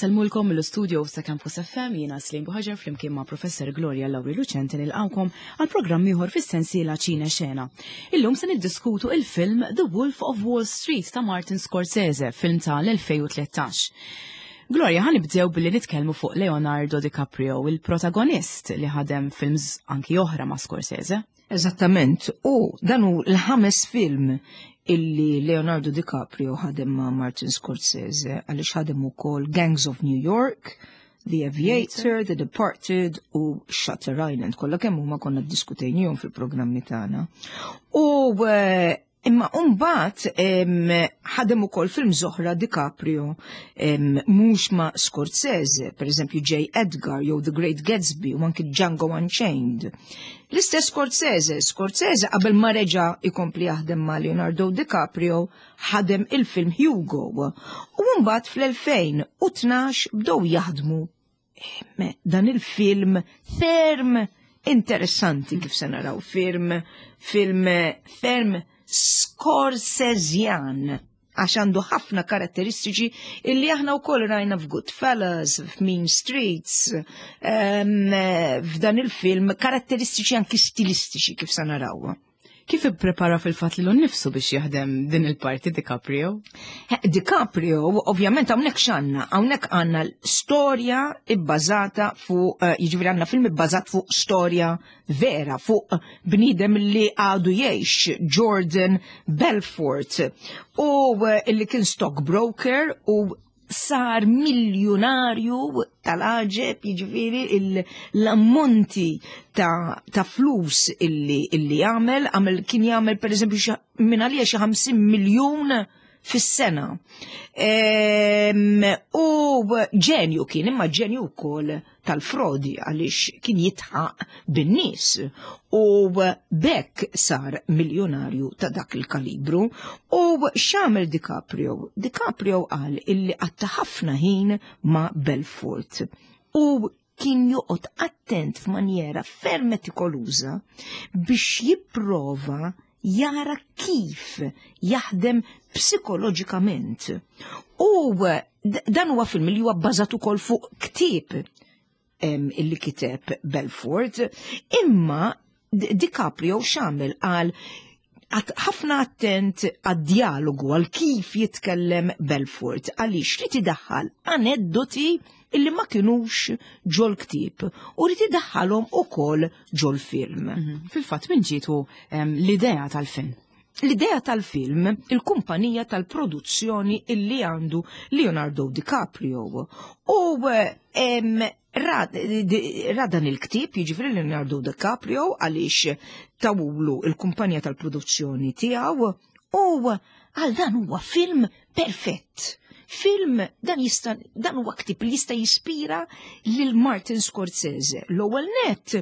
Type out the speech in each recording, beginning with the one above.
Insellmulkom mill-studio ta' Campus FM jiena Slim Buħaġar flimkien ma' Professor Gloria Lauri Lucenti nilqawkom għal programm ieħor fis-sensiela Ċine Xena. Illum se niddiskutu il-film The Wolf of Wall Street ta' Martin Scorsese, film ta' l-2013. Gloria, ħa nibdew billi nitkellmu fuq Leonardo DiCaprio, il-protagonist li ħadem films anki oħra ma' Scorsese. Eżattament, u dan hu l-ħames film illi Leonardo DiCaprio ħadem ma' Martin Scorsese għaliex ħadem ukoll Gangs of New York, The Aviator, The Departed u Shutter Island. Kollha kemm huma konna ddiskutejnihom fil-programmi tagħna. U eh, Imma mbagħad ħadem ukoll film oħra DiCaprio mhux ma' Scorsese, pereżempju J. Edgar jew The Great Gatsby u anki Django Unchained. L-istess Scorsese, Scorsese qabel ma reġa' ikompli jaħdem ma' Leonardo DiCaprio ħadem il-film Hugo u mbagħad fl-2012 bdew jaħdmu dan il-film ferm interessanti kif se naraw film film ferm Scorsesian għax għandu ħafna karatteristiċi illi aħna wkoll rajna f'Goodfellas, f'Mean Streets, f'dan il-film karatteristiċi anki stilistiċi kif se naraw. Kif ipprepara fil-fatt lilu nnifsu biex jaħdem din il-parti DiCaprio? DiCaprio, ovvjament hawnhekk x'għandna, hawnhekk għandna storja ibbażata fuq, eh, jiġifieri għandna film ibbażat fuq storja vera, fuq bniedem li għadu jgħix, Jordan Belfort, u eh, illi kien stockbroker u sar miljunarju tal-għaġeb, jiġifieri l-ammonti ta', ta flus illi, illi għamel, għamel kien jagħmel per eżempju minn għalija xi 50 miljun fis-sena. U ġenju kien, imma ġenju wkoll tal-frodi għaliex kien jitħaq bin-nies u bekk sar miljonarju ta' dak il-kalibru u x'għamel DiCaprio? DiCaprio qal illi qatta ħafna ħin ma' Belfort u kien joqgħod attent f'manjera ferm metikoluża biex jipprova jara kif jaħdem psikoloġikament. U dan huwa film li huwa bbażat ukoll fuq ktieb illi kiteb Belfort, imma DiCaprio x'għamel qal ħafna attent għad-dialogu għal kif jitkellem Belfort għaliex rid idaħħal aneddoti illi ma kinux ġol ktieb u rid idaħħalhom ukoll ġol film. Mhm. Fil-fatt minn ġietu l-idea tal-film? L-idea tal-film, il-kumpanija tal-produzzjoni illi għandu Leonardo DiCaprio. U ra dan il-ktieb, jiġifieri Leonardo DiCaprio għaliex tawulu il-kumpanija tal-produzzjoni tiegħu u għal dan huwa film perfett. Film dan jista' dan huwa ktieb li jista' jispira lil Martin Scorsese. L-ewwel net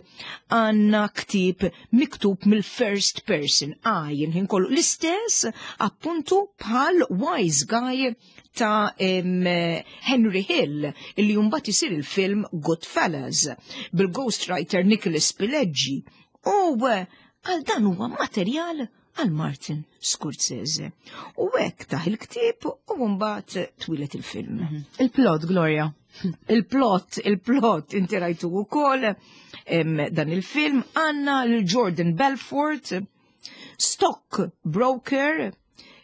għandna ktieb miktub mill-first person għajn ħin kollu l-istess appuntu bħal Wise Guy ta' Henry Hill illi mbagħad isir il-film Goodfellas bil-ghostwriter Nicholas Pileggi. U għal dan huwa materjal għal Martin Scorsese. U hekk taħ il-ktieb u mbagħad twilet il-film. Mhm. Il-plot, Gloria. Il-plot, il-plot, inti rajtu wkoll dan il-film għandna l-Jordan Belfort, stock broker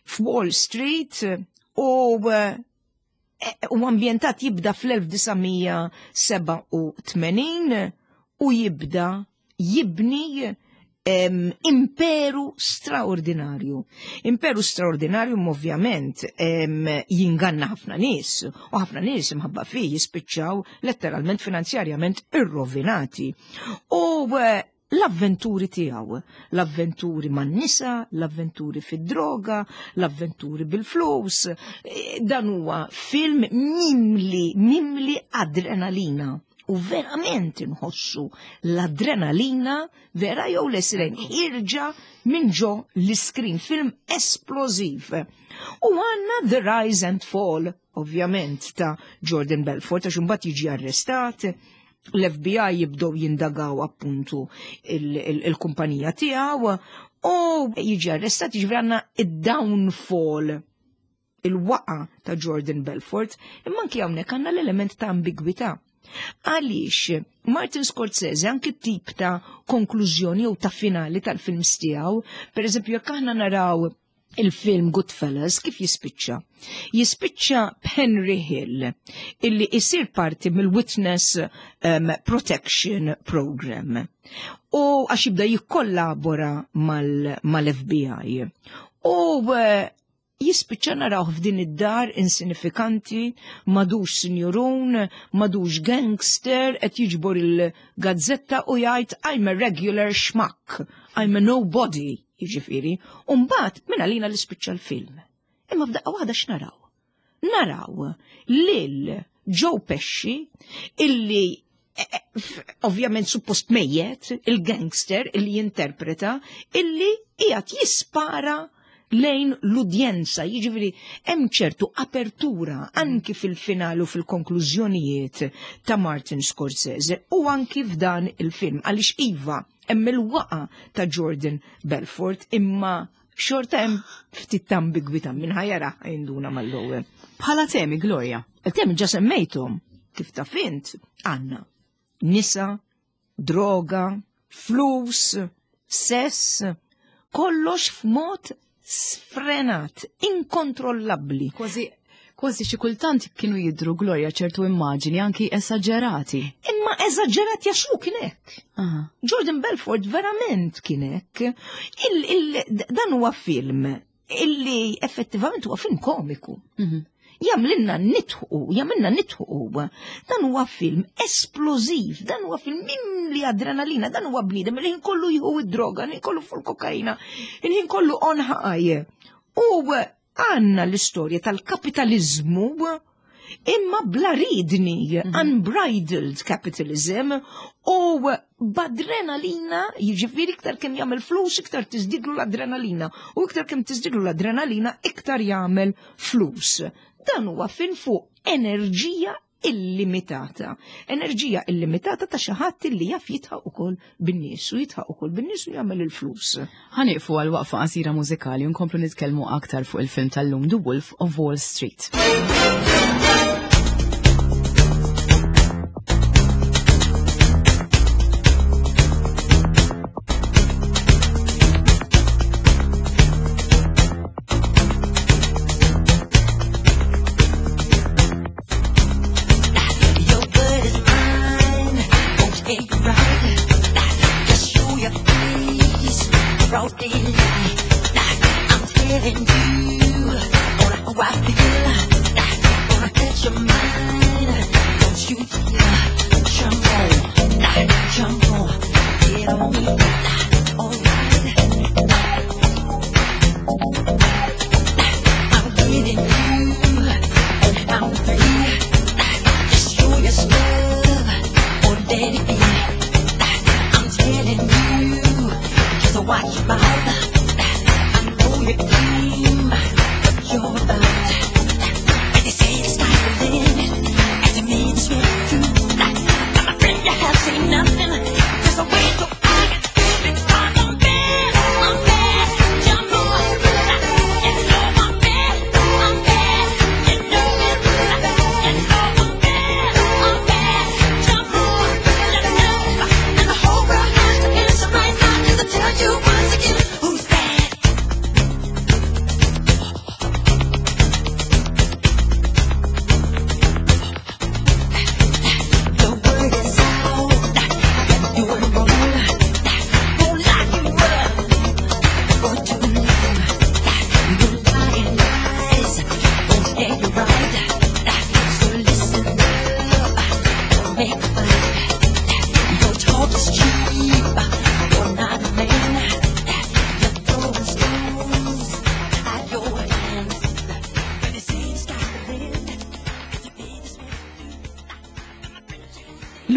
f'Wall Street u eh, u ambjentat jibda fl-1987 u jibda jibni imperu straordinarju. Imperu straordinarju ovvjament jinganna ħafna nies u ħafna nies imħabba fih jispiċċaw letteralment finanzjarjament irrovinati. U eh, l-avventuri tiegħu, l-avventuri man-nisa, l-avventuri fid-droga, l-avventuri bil-flus. E, dan huwa film mimli, mimli adrenalina. U verament inħossu l-adrenalina vera jew l-esren ħirġa minn ġo l-iskrin, film esplożiv. U għanna The Rise and Fall, ovvjament, ta' Jordan Belfort, għax imbagħad jiġi arrestat, l-FBI jibdow jindagaw appuntu il-kumpanija tiegħu u jiġi arrestat jiġifieri għandna id-downfall. il-waqa ta' Jordan Belfort, imma anki hawnhekk għandna l-element ta' ambigwità. Għaliex Martin Scorsese anki tip ta' konklużjoni jew ta' finali tal-films tiegħu, per eżempju jekk aħna naraw il-film Goodfellas kif jispiċċa? Jispiċċa Henry Hill illi isir parti mill-Witness um, Protection Program. U għax jibda jikkollabora mal-FBI. Mal U eh, jispiċċa narawh f'din id-dar insinifikanti, madux sinjurun, madux gangster, qed jiġbor il-gazzetta u jgħid I'm a regular schmuck, I'm a nobody, jiġifieri. U mbagħad minn għalina li spiċċa l-film. Imma f'daqqa waħda x'naraw? Naraw lil Joe Pesci illi eh, eh, ovvjament suppost mejjet, il-gangster illi jinterpreta, illi qiegħed jispara lejn l-udjenza, jiġifieri hemm ċertu apertura anki fil-final u fil-konklużjonijiet ta' Martin Scorsese u anki f'dan il-film għaliex iva hemm il-waqa ta' Jordan Belfort imma xorta hemm ftit ta' ambigwità minn ħajara jinduna mal-ewwel. Bħala temi, Gloria. Il-temi ġa semmejthom kif ta' fint għandna nisa, droga, flus, sess, kollox f'mod sfrenat, inkontrollabbli. Kważi kważi xi kultant kienu jidru Gloria ċertu immaġini anki esaġerati. Imma esaġerati għax hu kien hekk. Jordan Belfort verament kien hekk. Dan huwa film illi effettivament huwa film komiku. Mhm. Jamlinna nitħu, jamilna nitħu. Dan huwa film esplożiv, dan huwa film mimli adrenalina, dan huwa bniedem il-ħin kollu jieħu id-droga, il-ħin kollu fuq kokaina, il-ħin kollu on high. U għandna l-istorja tal-kapitalizmu imma bla ridni, mhm. unbridled capitalism, u b'adrenalina, jiġifieri iktar kemm jagħmel flus, iktar tiżdidlu l-adrenalina, u iktar kemm tiżdidlu l-adrenalina, iktar jagħmel flus. Dan huwa fin fuq enerġija illimitata. Enerġija illimitata ta' xi ħadd li jaf jitħaq ukoll bin-nies u jitħaq ukoll bin-nies u jagħmel il-flus. Ħanieqfu għal waqfa qasira mużikali u nkomplu nitkellmu aktar fuq il-film tal-lum The Wolf of Wall Street.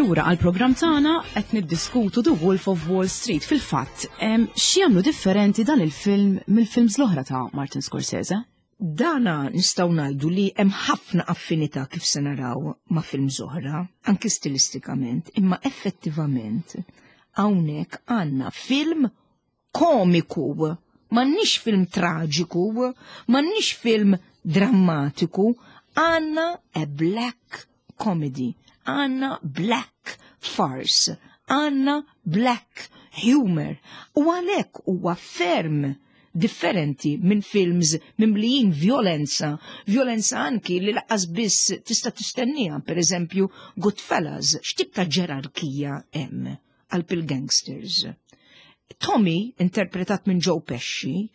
Lura għal programm tagħna qed niddiskutu The Wolf of Wall Street. Fil-fatt, x'jagħmlu differenti dan il-film mill-films l-oħra ta' Martin Scorsese? Dana nistgħu ngħidu li hemm ħafna affinità kif se naraw ma' films oħra, anki stilistikament, imma effettivament hawnhekk għandna film komiku, m'għandniex film traġiku, m'għandniex film drammatiku, għandna a black comedy, għandna black farce, għandna black humor. U għalhekk huwa ferm differenti minn films mimlijin violenza, violenza anki li lanqas biss tista' tistennija, per eżempju Goodfellas, x'tip ta' ġerarkija hemm għal il-gangsters. Tommy, interpretat minn Joe Pesci,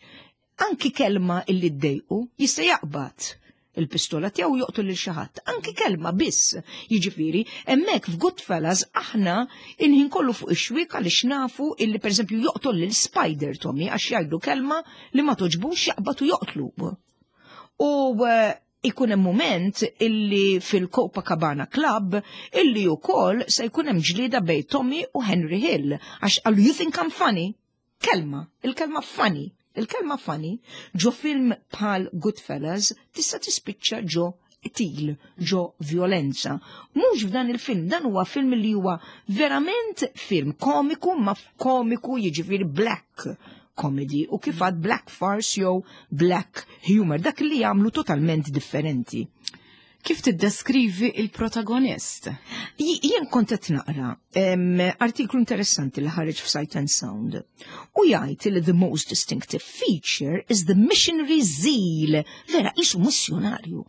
anki kelma illi ddejqu jista' jaqbad il-pistola tiegħu joqtol lil xi ħadd. Anki kelma biss. Jiġifieri, hemmhekk f'Goodfellas aħna il-ħin kollu fuq ix-xwiek għaliex nafu illi pereżempju joqtol lil Spider Tommy għax jgħidu kelma li ma toġbux jaqbad u joqtlu. U ikun hemm moment illi fil-Copacabana Club illi wkoll se jkun hemm ġlieda bejn Tommy u Henry Hill għax qalu you think I'm funny? Kelma, il-kelma funny, il-kelma funny ġo film bħal Goodfellas tista' tispiċċa ġo qtil, ġo violenza. Mhux f'dan il-film, dan huwa film li huwa verament film komiku ma komiku jiġifieri black comedy u kif għad black farce jew black humor, dak li jagħmlu totalment differenti. Kif tiddeskrivi il-protagonist? Jien kont qed naqra artiklu interessanti li ħareġ f'Sight and Sound u jgħid li the most distinctive feature is the missionary zeal, vera qisu missjonarju.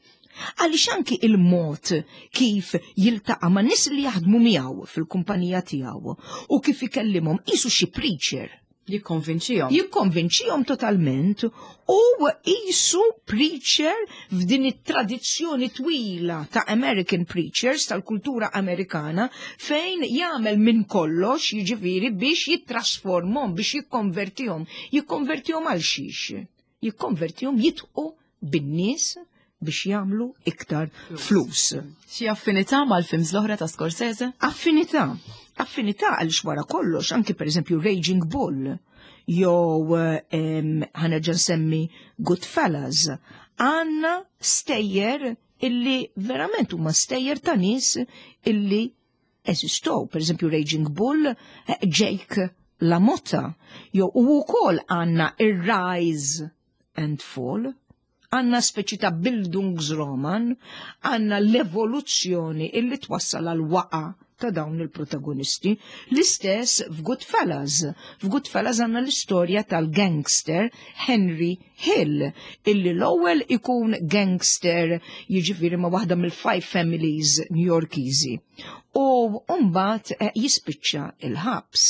Għaliex anki il-mod kif jiltaqa' ma' nies li jaħdmu miegħu fil-kumpanija tiegħu u kif ikellimhom qisu xi preacher. Jikkonvinċihom. Jikkonvinċihom totalment u qisu preacher f'din it-tradizzjoni twila ta' American preachers tal-kultura Amerikana fejn jagħmel minn kollox jiġifieri biex jittrasformhom, biex jikkonvertihom. Jikkonvertihom għal xiex? Jikkonvertihom jidħqu bin-nies biex jagħmlu iktar flus. Xi affinità mal-films l-oħra ta' Scorsese? Affinità. Affinità għaliex wara kollox, anki per eżempju Raging Bull, jew ħa nerġa' nsemmi Goodfellas, għandna stejjer illi verament huma stejjer ta' nies illi eżistow. Per eżempju Raging Bull, Jake LaMotta, jew u wkoll għandna ir-Rise and Fall, għandna speċi ta' Bildungsroman, għandna l-evoluzzjoni illi twassal għal waqa ta' dawn il-protagonisti. L-istess f'Goodfellas. F'Goodfellas għandna l-istorja tal-gangster Henry Hill, illi l-ewwel ikun gangster jiġifieri ma' waħda mill-Five Families New Yorkiżi. U mbagħad jispiċċa il-ħabs.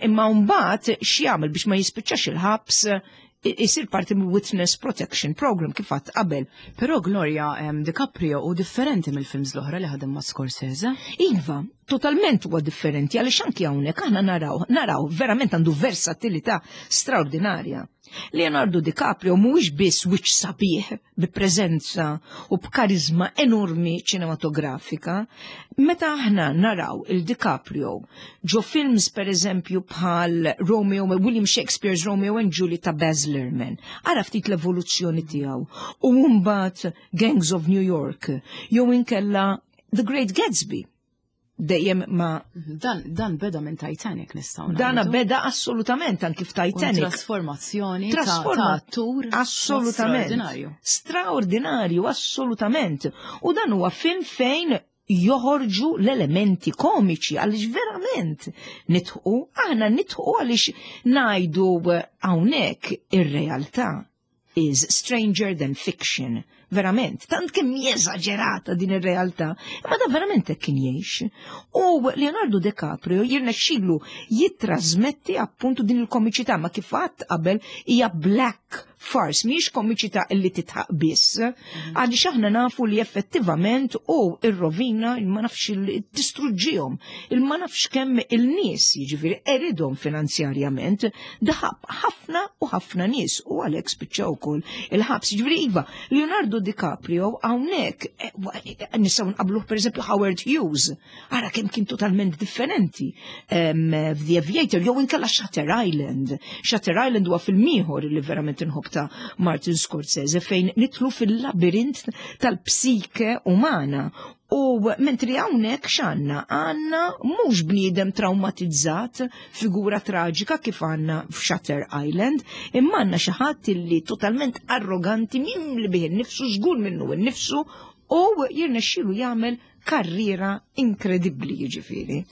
Imma mbagħad x'jagħmel biex ma jispiċċax il-ħabs isir parti mill Witness Protection Program kif għadt qabel. Però Gloria, DiCaprio hu differenti mill-films l-oħra li ħadem ma' Scorsese. Iva, totalment huwa differenti għaliex anki hawnhekk aħna naraw verament għandu versatilità straordinarja. Leonardo DiCaprio mhuwiex biss wiċċ sabiħ bi preżenza u b'karizma enormi ċinematografika. Meta aħna naraw il-DiCaprio ġo films per eżempju bħal Romeo, William Shakespeare's Romeo and Juliet ta' Baz Luhrmann, ara ftit l-evoluzzjoni tiegħu. U mbagħad Gangs of New York, jew inkella The Great Gatsby. Dejjem ma Dan beda minn Titanic nistgħu Dana ngħidu. beda assolutament anki f'Titanic. Trasformazzjoni ta' attur Assolutament. straordinarju. Straordinarju, assolutament. U dan huwa film fejn joħorġu l-elementi komiċi għaliex verament nidħqu, aħna nidħqu għaliex ngħidu hawnhekk ir-realtà is stranger than fiction. Verament, tant kemm jeżaġerata din ir-realtà, imma da verament hekk kien jgħix. U Leonardo DiCaprio jirnexxilu jittrasmetti appuntu din il-komiċità, ma kif għadt qabel hija black farce, mhijiex komiċità illi titħaq biss, għaliex aħna nafu li effettivament u ir-rovina ma nafx distruġġihom, il ma nafx kemm il-nies jiġifieri eridhom finanzjarjament, daħab ħafna u ħafna nies u għalhekk spiċċaw ukoll il-ħabs. Jiġifieri iva, Leonardo DiCaprio hawnhekk nistgħu nqabluh pereżempju Howard Hughes, ara kemm kien totalment differenti f'The Aviator, jew inkella Shutter Island. Shutter Island huwa film ieħor li verament inħobb ta' Martin Scorsese fejn nidħlu fil-labirint tal-psike umana. U mentri hawnhekk x'għandna? Għandna mhux bniedem traumatizzat, figura traġika kif għandna f'Shutter Island, imma għandna xi ħadd illi totalment arroganti mimli bih innifsu, żgur minnu nnifsu u jirnexxielu jagħmel karriera inkredibbli jiġifieri.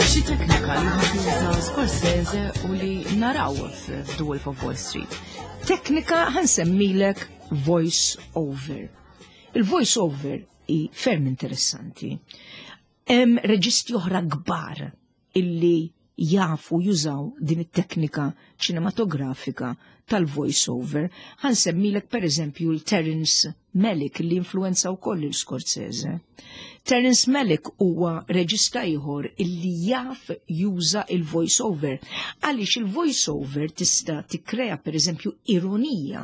Xi teknika li tuża Scorsese u li naraw f'The Wolf of Wall Street. Teknika ħa nsemmilek voice over. Il-voice over hi ferm interessanti. Hemm reġisti oħra kbar illi jafu jużaw din it-teknika ċinematografika tal-voice over. Ħa nsemmilek per eżempju l-Terence Malick li influenza wkoll il-Scorsese. Terence Malick huwa reġista ieħor illi jaf juża il-voice over. Għaliex il-voice over tista' tikkrea per eżempju ironija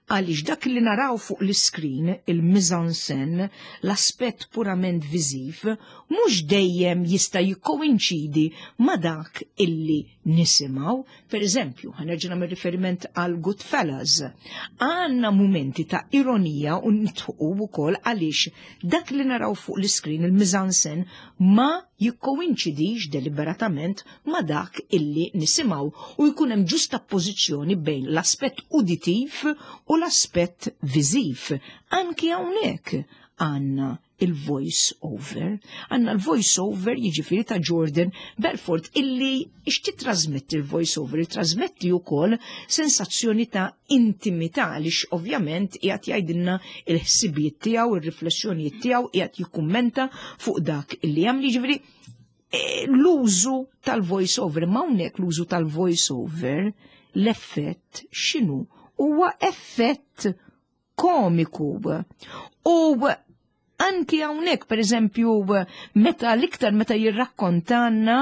għaliex dak li naraw fuq l-screen, il-mise-en-scène, l-aspett purament viżiv, mhux dejjem jista' jikkoinċidi ma' dak illi nisimgħu. Per eżempju, ħa nerġa' nagħmel riferiment għal Goodfellas. Għandna mumenti ta' ironija u nidħqu wkoll għaliex dak li naraw fuq l-screen, il-mise-en-scène, ma jikkoinċidix deliberatament ma' dak illi nisimgħu u jkun hemm ġustappożizzjoni bejn l-aspett uditiv u l-aspett viżiv. Anki hawnhekk għandna il-voice over. Għandna l-voice over jiġifieri ta' Jordan Belfort illi ix titrasmetti il-voice over, trasmetti wkoll sensazzjoni ta' intimità għaliex ovvjament qiegħed jgħidilna il-ħsibijiet tiegħu, ir-riflessjonijiet tiegħu, qiegħed jikkummenta fuq dak illi jagħmel jiġifieri l-użu tal-voice over, ma hawnhekk l-użu tal-voice over, l-effett x'inhu? Huwa effett komiku. U anki hawnhekk per eżempju meta l-iktar meta jirrakkontanna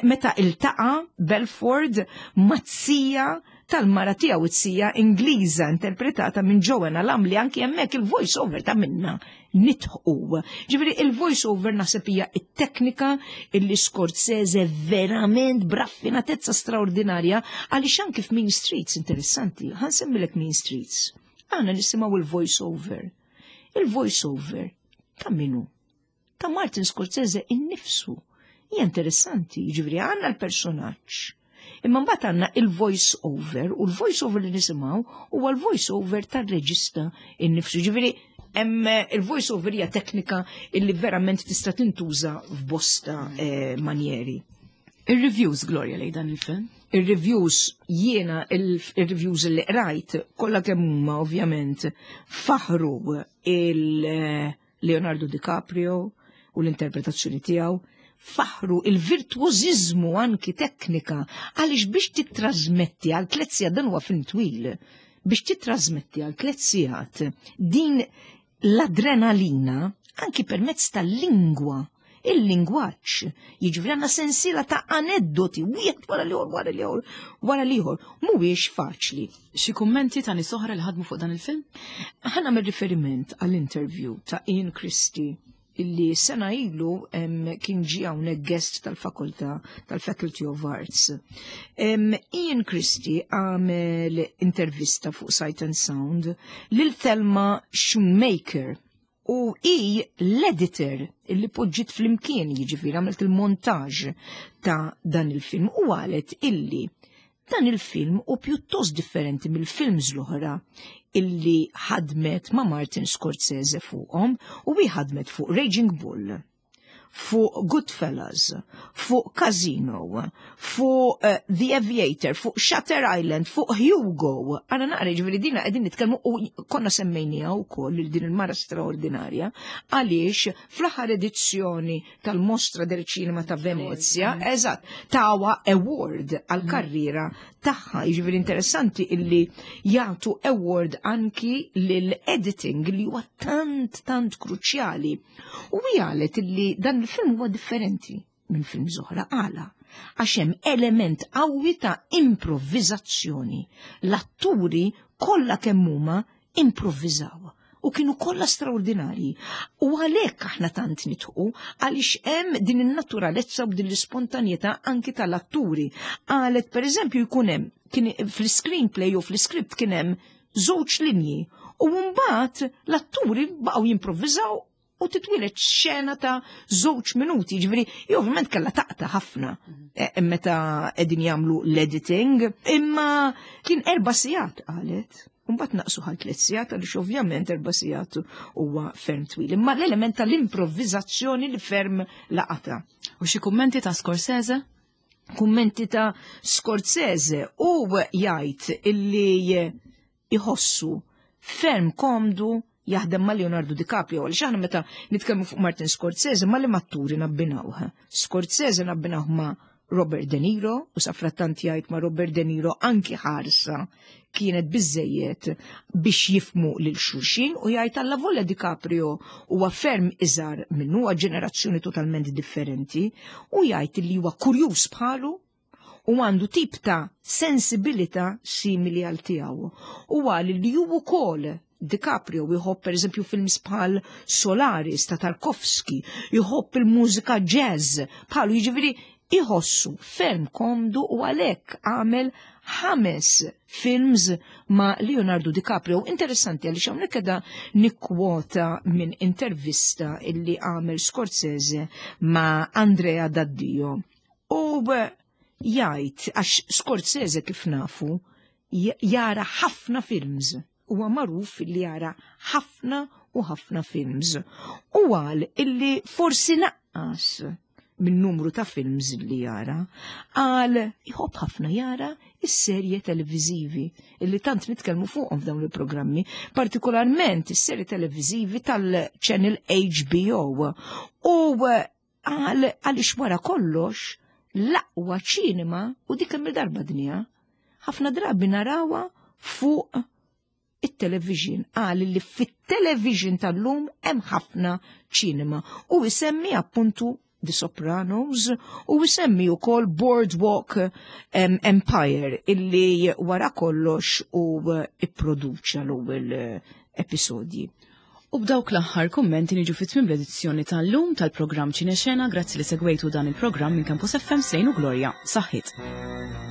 meta iltaqa Belfort maz-zija tal-mara tiegħu it-sija Ingliża interpretata minn Joanna Lumley anki hemmhekk il-voice over ta' minna nidħqu. Ġifieri il-voice over naħseb hija it-teknika illi Scorsese verament b'raffinatezza straordinarja għaliex anki f'Mean Streets interessanti, ħa nsemmilek Mean Streets. Aħna nisimgħu il-voice over. Il-voice over ta' minu? Ta' Martin Scorsese innifsu. Hija interessanti, ġifieri għandna l-personaġġ. Imma mbagħad għandna il-voice over u l-voice over li nisimgħu huwa l-voice over tar-reġista innifsu. Ġifieri hemm il-voice over hija teknika illi verament tista' tintuża f'bosta manjeri. Ir-reviews, Gloria, lejn dan il-film? Ir-reviews, jiena il-reviews li qrajt, kollha kemm huma ovvjament faħru il-Leonardo DiCaprio u l-interpretazzjoni tiegħu, faħru il-virtuożiżmu anki teknika għaliex biex titrasmetti għal 3 sigħat, dan huwa film twil, biex titrasmetti għal 3 sigħat din l-adrenalina anki permezz tal-lingwa, il-lingwaġġ, jiġifieri għandna sensiela ta' aneddoti, wieħed wara l-ieħor, wara l-ieħor, wara l-ieħor, mhuwiex faċli. Xi kummenti ta' nies oħra li ħadmu fuq dan il-film? Ħa nagħmel riferiment għall-interview ta' Ian Christie illi sena ilu kien ġie hawnhekk guest tal-fakultà tal-Faculty of Arts. Ian Christie għamel intervista fuq Sight and Sound lil Thelma Schoonmaker u i l-editor illi poġġiet flimkien jiġifieri għamlet il-montaġ ta' dan il-film u qalet illi dan il-film u pjuttost differenti mill-films l-oħra illi ħadmet ma' Martin Scorsese fuqhom u hi ħadmet fuq Raging Bull, fuq Goodfellas, fuq Casino, fuq The Aviator, fuq Shutter Island, fuq Hugo. Għana naqra ġifieri dina qegħdin nitkellmu u konna semmejnija wkoll lil din il-mara straordinarja għaliex fl-aħħar edizzjoni tal-Mostra del Cinema ta' Venezia, eżatt, tawa award għal-karriera tagħha. Jiġifieri interessanti illi jagħtu award anki lil-editing li huwa tant tant kruċjali. U qalet illi dan il-film huwa differenti minn film oħra għala għax hemm element qawwi ta' improvvizazzjoni. L-atturi kollha kemm huma improvvizaw u kienu kollha straordinarji. U għalhekk aħna tant nidħqu għaliex hemm din in-naturalezza u din l-ispontanjetà anki tal-atturi. Qalet pereżempju jkun hemm kien fl-screenplay u fl-script kien hemm żewġ linji u mbagħad l-atturi baqgħu jimprovviżaw u titwieled xena ta' 2 minuti, ġifieri, ovvjament kellha taqta' ħafna meta qegħdin jagħmlu l-editing, imma kien 4 sigħat qalet. Mbagħad naqsu għal 3 sigħat għaliex ovvjament 4 sigħat huwa ferm twil. Imma l-element tal-improvvizazzjoni li ferm laqata. U xi kummenti ta' Scorsese? Kummenti ta' Scorsese u jgħid illi jħossu ferm komdu jaħdem ma' Leonardo DiCaprio, għaliex aħna meta nitkellmu fuq Martin Scorsese ma' li matturi nabbinawh. Scorsese nabbinawh ma' Robert De Niro u safrattant jgħid ma' Robert De Niro anki ħarsa kienet biżejjed biex jifmu lil xulxin u jgħid alla volja DiCaprio huwa ferm iżgħar minnu huwa ġenerazzjoni totalment differenti u jgħid li huwa kurjuż bħalu u għandu tip ta' sensibilità simili għal tiegħu. U għal li hu wkoll DiCaprio jħobb pereżempju films bħal Solaris ta' Tarkovsky, jħobb il-mużika jazz bħalu jiġifieri iħossu ferm komdu u għalhekk għamel ħames films ma' Leonardo DiCaprio. Interessanti għaliex hawnhekk qiegħda nikkwota minn intervista illi għamel Scorsese ma' Andrea Daddio. U jgħid għax Scorsese kif nafu jara ħafna films. Huwa magħruf li jara ħafna u ħafna films. U għal illi forsi naqqas minn numru ta' films li jara, għal jħobb ħafna jara is-serje televiżivi illi tant nitkellmu fuqhom f'dawn il-programmi, partikolarment is-serje televiżivi tal-channel HBO. U Qal għaliex wara kollox l-aqwa ċinema u dik kemm darba dinja ħafna drabi narawha fuq it-television. Qal li fit-television tal-lum hemm ħafna ċinema u isemmi appuntu The Sopranos u isemmi wkoll Boardwalk Empire illi wara kollox u ipproduċa l-ewwel episodji. U b'dawk l-aħħar kummenti niġu fi tmiem l-edizzjoni tal-lum tal-programm Ċinexena, grazzi li segwejtu dan il-programm minn Campus FM Sejn u Gloria. Saħħit.